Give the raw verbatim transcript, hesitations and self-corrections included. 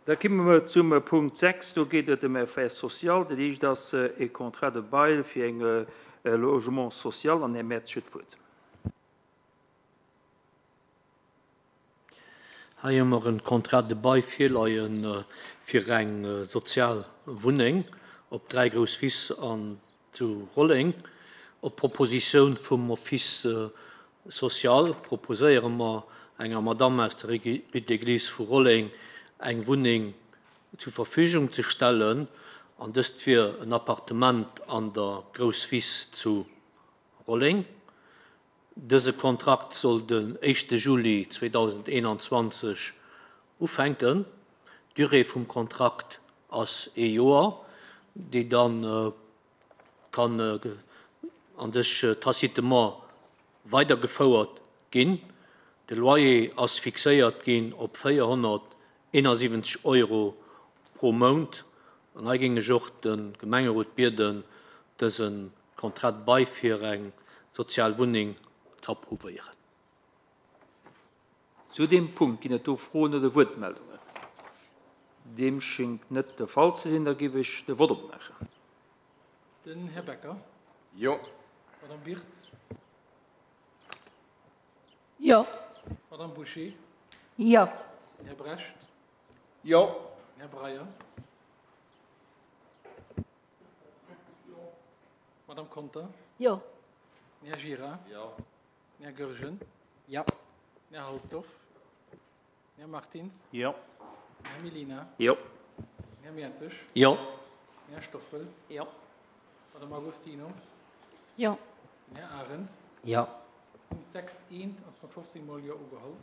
Da komme mer zum Punkt sechs. Do geet et ëm Affaires sociales. Dat éischt ass e Contrat de bail fir eng Logement social. An Här Mertz huet d'Wuert. Hei hu mer e Contrat de bail virleie fir eng sozial Wunneng op dräi grouss Wiss an zu Rolleng. Op Propositioun vum Office social proposéiere mer enger Madame aus der Rue d'Église vu Rolleng eng Wunneng zur Verfügung ze stellen. An dëst wier en Appartement an der Grousswiss zu Rolleng. Dëse Kontrakt soll den éischte Juli zweedausendeenanzwanzeg ufänken. D'Durée vum Kontrakt ass ee Joer, déi dann kann an sech tacitement weidergefouert ginn. De Loyer ass fixéiert ginn op véierhonnerteenasiwwenzeg Euro pro Mount. An hei géing ech och de Gemengerot bieden, dëse Contrat de bail fir eng sozial Wunneng ze approuvéieren. Zu deem Punkt ginn et do Froen oder Wuertmeldungen? Deem schéngt net de Fall ze sinn. Da géif ech de Vott opmaachen. Den Här Becker. Jo. Madame Birtz. Jo. Madame Boucher. Jo. Här Brecht. Jo. Här Breyer. Madame Conter. Jo. Här Gira. Jo. Här Goergen. Jo. Här Halsdorf. Här Martins. Jo. Här Mellina. Jo. Här Mertzig. Jo. Här Stoffel. Jo. Madame Agostino. Jo. Här Arendt. Jo. Punkt sechs eent ass mat fofzéng Mol Jo ugeholl.